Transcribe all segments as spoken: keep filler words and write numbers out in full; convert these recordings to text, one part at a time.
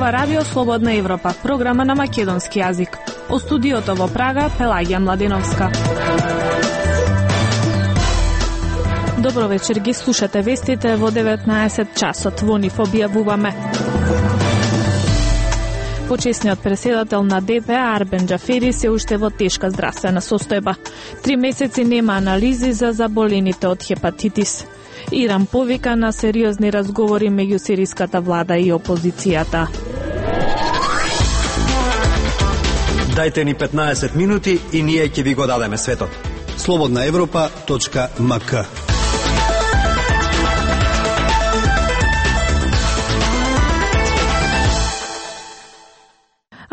Ова радио Слободна Европа, програма на македонски јазик. О студиото во Прага, Пелагија Младеновска. Добро вечер, ги слушате вестите во деветнаесет часот. Во нив објавуваме. Почесниот преседател на ДП Арбен Џафери се уште во тешка здравствена состојба. Три месеци нема анализи за заболените од хепатитис. Иран повика на сериозни разговори меѓу сириската влада и опозицијата. Дајте ни петнаесет минути и ние ќе ви го дадеме светот. слободна европа точка ем ка.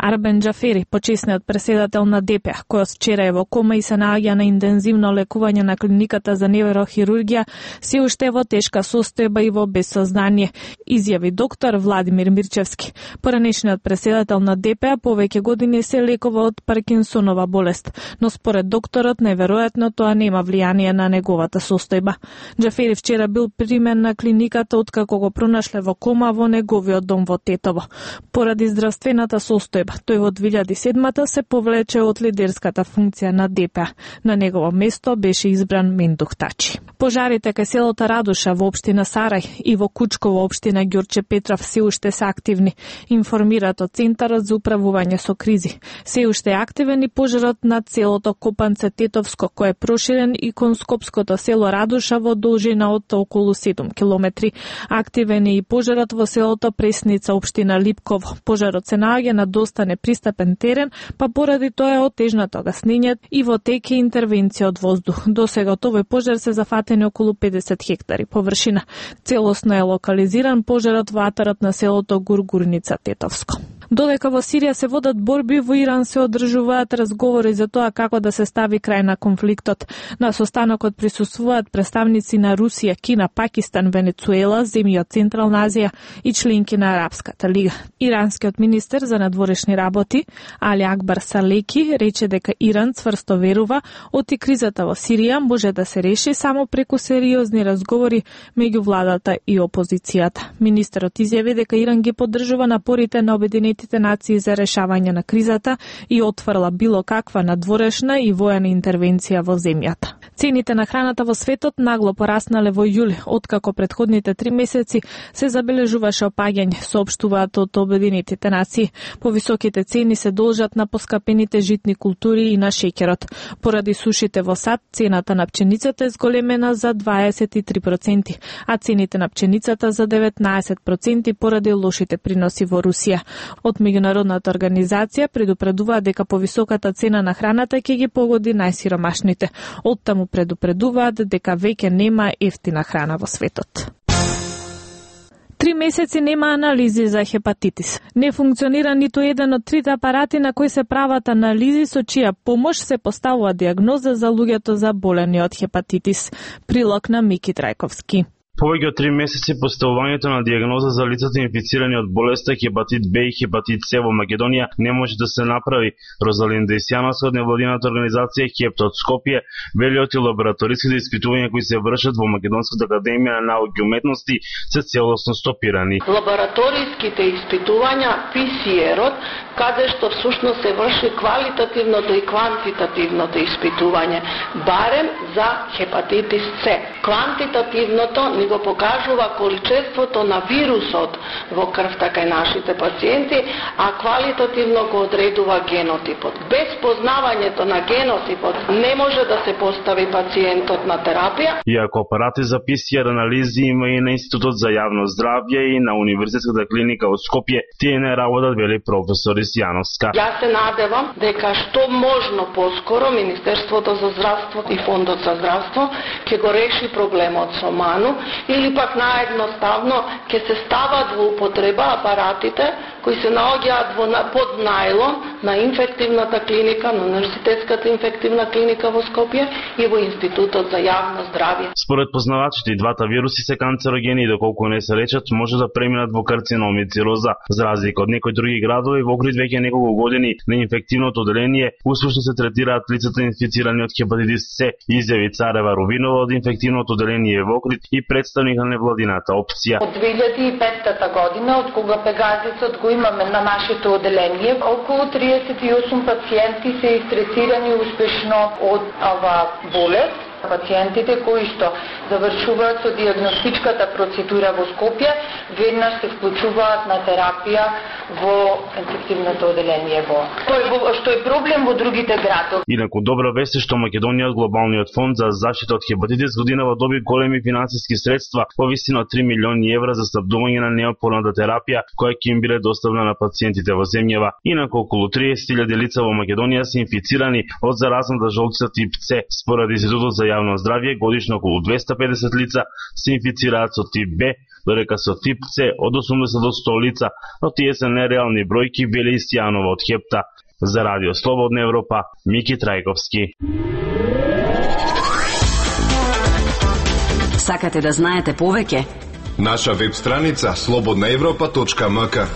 Арбен Џафери, почесниот преседател на ДП, кој вчера е во кома и се наоѓа на интензивно лекување на клиниката за неврохирургија, се уште во тешка состојба и во безсознание, изјави доктор Владимир Мирчевски. Поранешниот преседател на ДП повеќе години се лекува од Паркинсонова болест, но според докторот неверојатно тоа нема влијание на неговата состојба. Џафери вчера бил примен на клиниката откако го пронашле во кома во неговиот дом во Тетово. Поради здравствената состојба, тој во две илјади и седма се повлече од лидерската функција на ДП. На негово место беше избран Мендух Тачи. Пожарите кај селото Радуша во општина Сарај и во Кучко во општина Ѓурче Петров се уште се активни, информираат од Центарот за управување со кризи. Се уште е активен и пожарот над селото Копанце Тетовско, кој е проширен и кон скопското село Радуша во должина од околу седум километри. Активен е и пожарот во селото Пресница, општина Липково. Пожарот се наоѓа на доста непристапен терен, па поради тоа е отежнато гаснење и во теке интервенција од воздух. До сега од овој пожар се зафатени околу педесет хектари површина. Целосно е локализиран пожарот во атарот на селото Гургурница Тетовско. Додека во Сирија се водат борби, во Иран се одржуваат разговори за тоа како да се стави крај на конфликтот. На состанокот присуствуваат представници на Русија, Кина, Пакистан, Венецуела, земји од Централна Азија и членки на Арапската лига. Иранскиот министер за надворешни работи Али Акбар Салеки рече дека Иран цврсто верува оти кризата во Сирија може да се реши само преку сериозни разговори меѓу владата и опозицијата. Министерот изјави дека Иран ги поддржува напорите на Обединетите нации за решавање на кризата и отфрла било каква надворешна и воена интервенција во земјата. Цените на храната во светот нагло пораснале во јули, откако предходните три месеци се забележуваше опаѓање, соопштуваат од Обединетите нации. Повисоките цени се должат на поскапените житни култури и на шеќерот. Поради сушите во САД, цената на пченицата е зголемена за дваесет и три проценти, а цените на пченицата за деветнаесет проценти поради лошите приноси во Русија. Од меѓународната организација предупредуваат дека повисоката цена на храната ќе ги погоди најсиромашните. Оттаму предупредуваат дека веќе нема ефтина храна во светот. Три месеци нема анализи за хепатитис. Не функционира ниту еден од трите апарати на кои се прават анализи со чија помош се поставува диагноза за луѓето заболени од хепатитис. Прилог на Мики Трајковски. Повеќе од три месеци поставувањето на диагноза за лицата инфицирани од болеста хепатит Б и хепатит С во Македонија не може да се направи. Розалинда Исјановска од невладината организација Хепта од Скопје вели оти лабораториските испитувања кои се вршат во Македонската академија на науки и уметности се целосно стопирани. Лабораториските испитувања Пи Си Ар-от, каде што всушност се врши квалитативното и квантитативното испитување, барем за хепатитис С. Квантитативното ни го покажува количеството на вирусот во крвта кај нашите пациенти, а квалитативно го одредува генотипот. Без познавањето на генотипот не може да се постави пациентот на терапија. Иако апарати за Пи Си Ар анализи има и на Институтот за јавно здравје и на Универзитетската клиника во Скопје, тие не работат, вели професор Исјановска. Јас се надевам дека што можно поскоро Министерството за здравство и Фондот за здравство ќе го реши проблемот со ману, или пак наедноставно ќе се стават во употреба апаратите кои се наоѓаат во под најлон на инфективната клиника, на Универзитетската инфективна клиника во Скопје и во Институтот за јавно здравје. Според познавачите, и двата вируси се канцерогени и доколку не се лечат, може да преминат во карцином и цироза. За разлика од некои други градови, во Охрид веќе неколку години на инфективното оделение успешно се третираат лицата инфицирани од хепатитис С, изјави Царева Рувинова од инфективното оделение во Охрид и представник на невладината опција. Од две илјади и петта година, од кога Пегазисот го имаме на нашето оделение, околу триесет и осум пациенти се истретирани успешно од ова болест. Пациентите кои што завршуваат со диагностичката процедура во Скопје, веднаш се вклучуваат на терапија во инфективното оделение во. Тој што е проблем во другите градови. Инаку добра вест е што Македонија од Глобалниот фонд за заштита од хепатитис годинава доби големи финансиски средства во висина од три милиони евра за снабдување на неопходната терапија која ќе им биде доставена на пациентите во земјава. Инаку околу триесет илјади лица во Македонија се инфицирани од заразната жолчица тип С. Според Институтот за јавно здравје, годишно околу двеста педесет лица се инфицираат со тип Б, додека со тип С од осумдесет до сто лица, но тие се нереални бројки, вели Стојанова од Хепта. За Радио Слободна Европа, Мики Трајковски. Сакате да знаете повеќе? Наша веб страница слободна европа точка ем ка.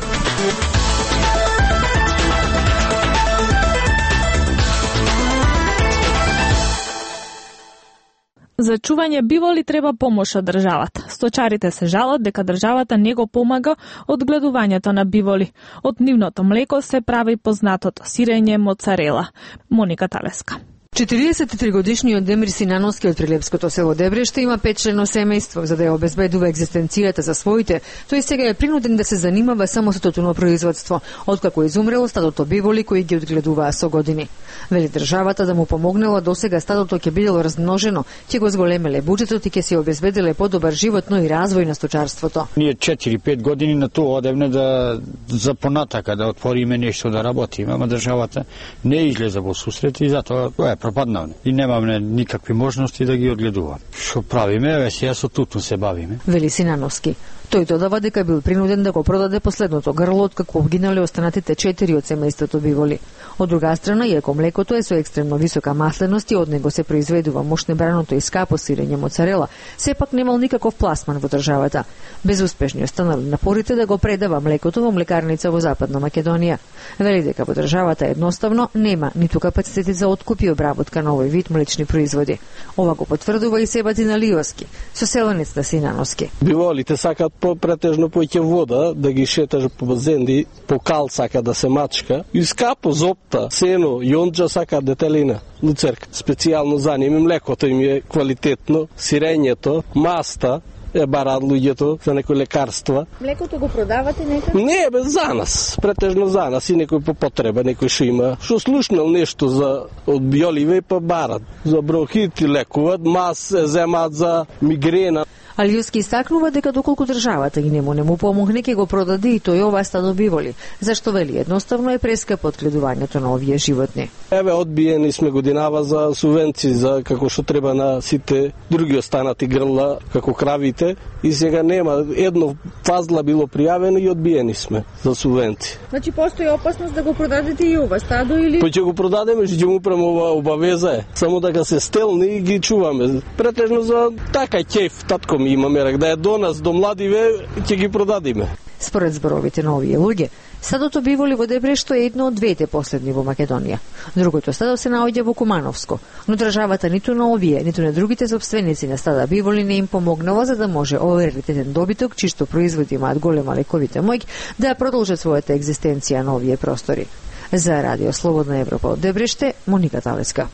За чување биволи треба помош од државата. Сточарите се жалат дека државата не го помага од гледувањето на биволи. Од нивното млеко се прави познатото сирење моцарела. Моника Талеска. четириесет и три годишниот Демир Синановски од прилепското село Дебриште има петчлено семејство. За да ја обезбедува екзистенцијата за своите, тој сега е принуден да се занимава само со тотуно производство, откако изумрело стадото биволи кои ги одгледуваа со години. Вели државата да му помогнала, досега стадото ќе бидело размножено, ќе го зголемеле буџетот и ќе се обезбеделе подобар живот, но и развој на сточарството. Ние четири-пет години на тоа одевне да за понатака да отвориме нешто да работиме, ама државата не излезе во сусрет и затоа тоа е пропаднавме. И немаме никакви можности да ги одгледуваме. Што правиме, еве сега со тутун се бавиме. Вели Синановски. Тој додава дека бил принуден да го продаде последното грло откако вгинале останатите четири од семејството биволи. Од друга страна, иако млекото е со екстремно висока масленост и од него се произведува мошнебраното и скапо сирење моцарела, сепак немал никаков пласман во државата. Безуспешни останали напорите да го предава млекото во млекарница во Западна Македонија. Вели дека во државата едноставно нема ниту капацитети за откуп и обработка на овој вид млечни производи. Ова го потврдува и Себатин Алиовски, соселенец на Синановски. Биволите сакат по претежно поќе вода, да ги шеташ по базенди, по кал сака да се мачка, и скапо зопта, сено, јонџа сака детелина, луцерка. Специјално за ними млекото им е квалитетно, сирењето, маста, е бараат луѓето за некои лекарства. Млекото го продавате некаде? Не, бе, за нас, претежно за нас и некој по потреба, некој што има, што слушнал нешто за од биоливе па барат. За бронхит лекуваат, мас земаат за мигрена. Алиовски истакнува дека доколку државата ги нему не му помогне, ќе го продаде и тој ова стадо биволи, зашто вели едноставно е прескапо одгледувањето на овие животни. Еве, одбиени сме годинава за субвенции, за како што треба на сите други останати грла, како кравите, и сега нема. Едно фазла било пријавено и одбиени сме за субвенции. Значи, постои опасност да го продадете и ова стадо или? Па ќе го продадеме, ќе му премова обавеза е. Само дека се стелни и ги чуваме. Претежно за така ќеф, татко ми имаме рак, да е до нас, до младиве, ќе ги продадиме. Според зборовите на овие луѓе, стадото биволи во Дебришто е едно од двете последни во Македонија. Другото стадо се наоѓа во Кумановско, но државата ниту на овие, ниту на другите собственици на стада биволи не им помогнала за да може овој раритетен добиток, чисто производи имаат голема лековита моќ, да продолжат својата екзистенција на овие простори. За Радио Слободна Европа од Дебриште, Моника Талеска.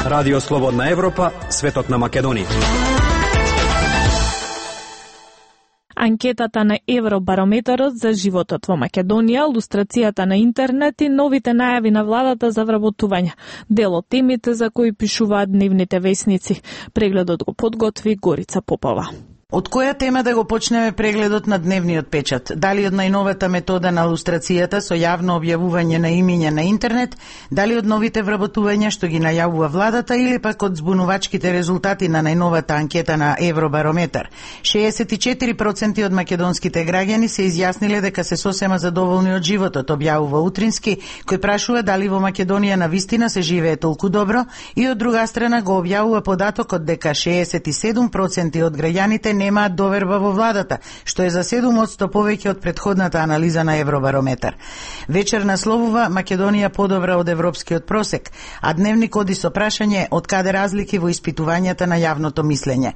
Радио Слободна Европа, светот на Македонија. Анкетата на Евробарометарот за животот во Македонија, лустрацијата на интернет и новите најави на владата за вработување. Дел од темите за кои пишуваат дневните весници. Прегледот го подготви Горица Попова. Од која тема да го почнеме прегледот на дневниот печат? Дали од најновата метода на лустрацијата со јавно објавување на имиња на интернет, дали од новите вработувања што ги најавува владата или пак од збунувачките резултати на најновата анкета на Евробарометар? шеесет и четири проценти од македонските граѓани се изјасниле дека се сосема задоволни од животот, објавува Утрински, кој прашува дали во Македонија на вистина се живее толку добро, и од друга страна го објавува податокот дека шеесет и седум проценти од граѓаните немаат доверба во владата, што е за седум одсто повеќе од претходната анализа на Евробарометар. Вечер насловува Македонија подобра од европскиот просек, а Дневник оди со прашање од каде разлики во испитувањата на јавното мислење.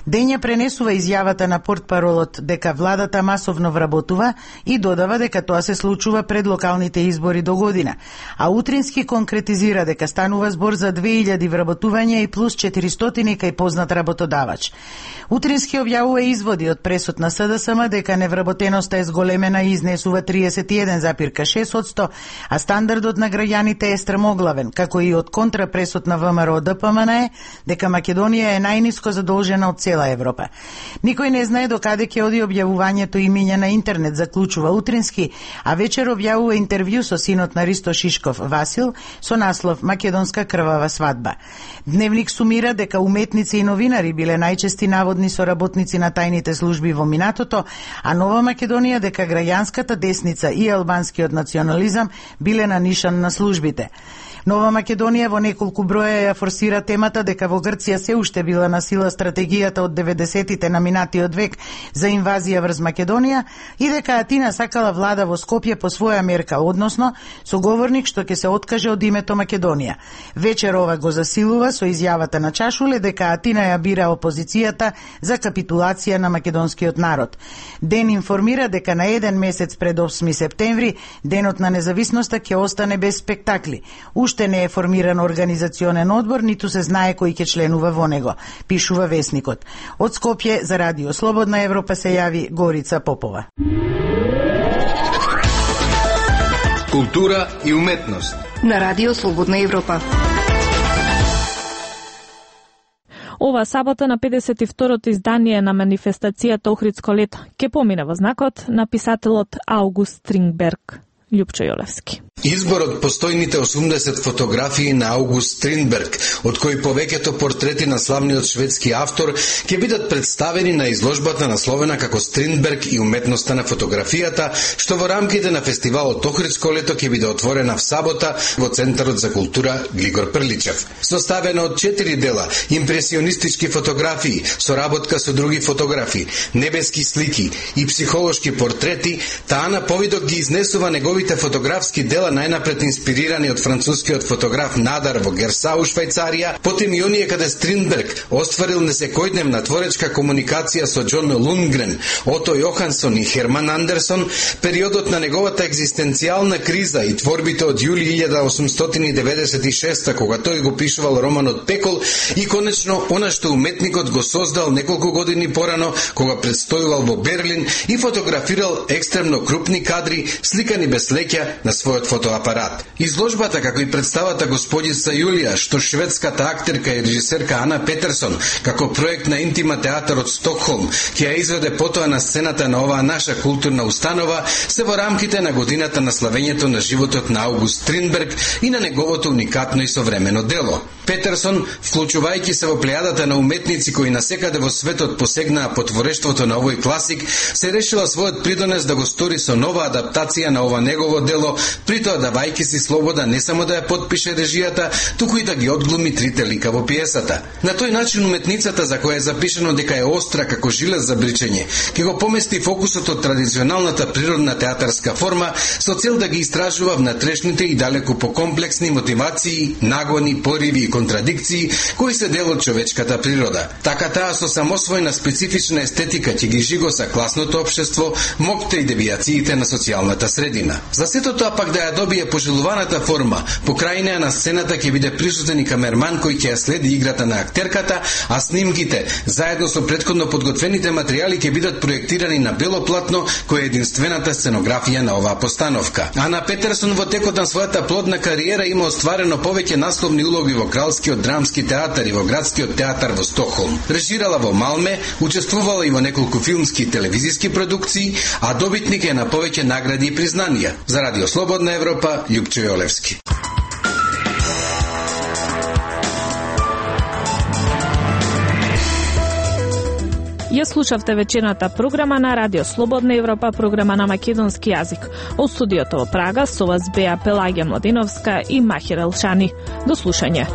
Дења пренесува изјавата на портпаролот дека владата масовно вработува и додава дека тоа се случува пред локалните избори до година, а утрински конкретизира дека станува збор за две илјади вработувања и плюс четиристотини кај познат работодавач. Утрински објавува изводи од пресуд на СДСМ дека невработеноста е зголемена и изнесува триесет и еден запирка шест одсто, а стандардот на граѓаните е стремоглавен, како и од контрапресуд на ВМРО ДПМН дека Македонија е најниско задолжена од цела Европа. Никој не знае до каде ќе оди објавувањето имиња на интернет, заклучува Утрински, а вечер објавува интервју со синот на Ристо Шишков, Васил, со наслов Македонска крвава свадба. Дневник сумира дека уметници и новинари биле најчести наводни соработници на тајните служби во минатото, а Нова Македонија дека граѓанската десница и албанскиот национализам биле на нишан на службите. Нова Македонија во неколку броја ја форсира темата дека во Грција се уште била на сила стратегијата од деветдесетите на минатиот век за инвазија врз Македонија и дека Атина сакала влада во Скопје по своја мерка, односно соговорник што ќе се откаже од името Македонија. Вечер ова го засилува со изјавата на Чашуле дека Атина ја бира опозицијата за капитулација на македонскиот народ. Ден информира дека на еден месец пред осми септември, денот на независноста ќе остане без спектакли. Уште не е формиран организационен одбор, ниту се знае кој ќе членува во него, пишува Весникот. Од Скопје за Радио Слободна Европа се јави Горица Попова. Култура и уметност на Радио Слободна Европа. Ова сабота на педесет и второто издание на манифестацијата Охридско лето ќе помине во знакот на писателот Аугуст Стрингберг. Љупчо Јолевски. Избор од постојните осумдесет фотографии на Аугуст Стриндберг, од кои повеќето портрети на славниот шведски автор, ќе бидат представени на изложбата насловена како Стриндберг и уметноста на фотографијата, што во рамките на фестивалот Охридско лето ќе биде отворена в сабота во Центарот за култура Глигор Прличев. Составена од четири дела, импресионистички фотографии, соработка со други фотографи, небески слики и психолошки портрети, таа на повидок ги изнесува неговите фотографски дела најнапред инспирирани од францускиот фотограф Надар во Герсау, Швајцарија, потим и оние каде Стриндберг остварил несекојдневна творечка комуникација со Џон Лундгрен, Ото Јохансон и Херман Андерсон, периодот на неговата екзистенцијална криза и творбите од јули илјада осумстотини деветдесет и шеста, кога тој го пишувал романот Пекол, и конечно она што уметникот го создал неколку години порано, кога предстојувал во Берлин и фотографирал екстремно крупни кадри, сликани без леќа на својот фотоапарат. Изложбата, како и представата Господица Јулија, што шведската актерка и режисерка Ана Петерсон, како проект на Интима театар од Стокхолм, ќе ја изведе потоа на сцената на оваа наша културна установа, се во рамките на годината на славењето на животот на Аугуст Стриндберг и на неговото уникатно и современо дело. Петерсон, вклучувајќи се во плејадата на уметници кои насекаде во светот посегнаа по творештвото на овој класик, се решила својот придонес да го стори со нова адаптација на ова негово дело, притоа давајќи си слобода не само да ја подпише режијата, туку и да ги одглуми трите лика во пиесата. На тој начин уметницата, за која е запишено дека е остра како жилет за бричење, ќе го помести фокусот од традиционалната природна театарска форма со цел да ги истражува внатрешните и далеку покомплексни мотивации, нагони, пориви и контрадикции кои се дел од човечката природа. Така таа со самосвојна специфична естетика ќе ги жигоса класното општество, мокте и девијациите на социјалната средина. За сето тоа пак да ја добие пожелуваната форма, покрај неа на сцената ќе биде присутен и камерман кој ќе ја следи играта на актерката, а снимките, заедно со претходно подготвените материјали ќе бидат проектирани на бело платно, кој е единствената сценографија на оваа постановка. Ана Петерсон во текот на својата плодна кариера има остварено повеќе насловни улоги во Кралскиот драмски театар и во Градскиот театар во Стокхолм. Режирала во Малме, учествувала и во неколку филмски и телевизиски продукции, а добитник е на повеќе награди и признанија. За Радио Слободна Европа, Љупчо Јолевски. Ја слушавте вечерната програма на Радио Слободна Европа, програма на македонски јазик. Од студиото во Прага со вас беа Пелагија Младиновска и Махир Елшани. До слушање.